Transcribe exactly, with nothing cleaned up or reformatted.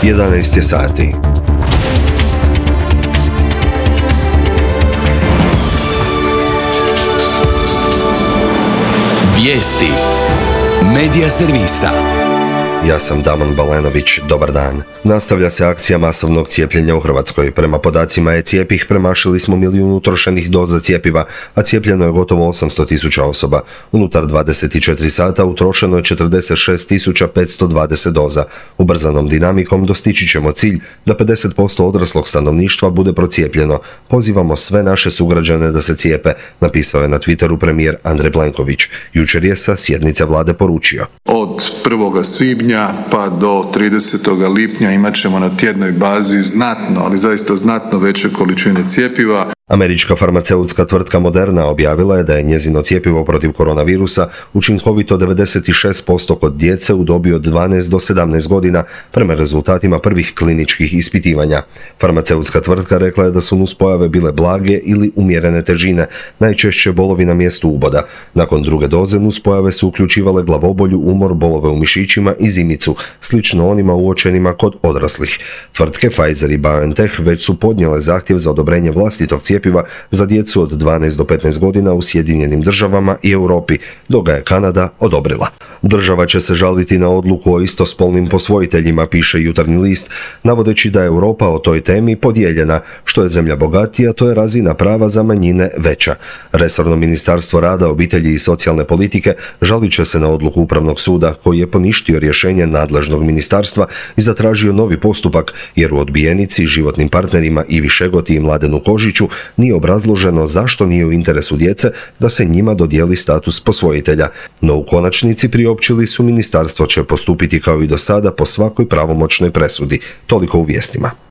jedanaest je sati. Vijesti Medija servisa. Ja sam Damon Balenović, dobar dan. Nastavlja se akcija masovnog cijepljenja u Hrvatskoj. Prema podacima e-cijepih premašili smo milijun utrošenih doza cjepiva, a cijepljeno je gotovo osamsto tisuća osoba. Unutar dvadeset četiri sata utrošeno je četrdeset šest tisuća petsto dvadeset doza. Ubrzanom dinamikom dostići ćemo cilj da pedeset posto odraslog stanovništva bude procijepljeno. Pozivamo sve naše sugrađane da se cijepe, napisao je na Twitteru premijer Andrej Plenković. Jučer je sa sjednice vlade poručio. Od prvog svibnja pa do tridesetog lipnja imat ćemo na tjednoj bazi znatno, ali zaista znatno veće količine cjepiva. Američka farmaceutska tvrtka Moderna objavila je da je njezino cjepivo protiv koronavirusa učinkovito devedeset šest posto kod djece u dobi od dvanaest do sedamnaest godina prema rezultatima prvih kliničkih ispitivanja. Farmaceutska tvrtka rekla je da su nuspojave bile blage ili umjerene težine, najčešće bolovi na mjestu uboda. Nakon druge doze nuspojave su uključivale glavobolju, umor, bolove u mišićima i zimicu, slično onima uočenima kod odraslih. Tvrtke Pfizer i BioNTech već su podnijele zahtjev za odobrenje vlastitog cjepiva za djecu od dvanaest do petnaest godina u Sjedinjenim državama i Europi, dok ga je Kanada odobrila. Država će se žaliti na odluku o istospolnim posvojiteljima, piše Jutarnji list, navodeći da je Europa o toj temi podijeljena. Što je zemlja bogatija, to je razina prava za manjine veća. Resorno ministarstvo rada, obitelji i socijalne politike žalit će se na odluku Upravnog suda, koji je poništio rješenje nadležnog ministarstva i zatražio novi postupak, jer u odbijenici životnim partnerima Ivi Šegoti i Mladenu Kožiću nije obrazloženo zašto nije u interesu djece da se njima dodijeli status posvojitelja. No u konačnici priopćili su ministarstvo će postupiti kao i do sada po svakoj pravomoćnoj presudi. Toliko u vijestima.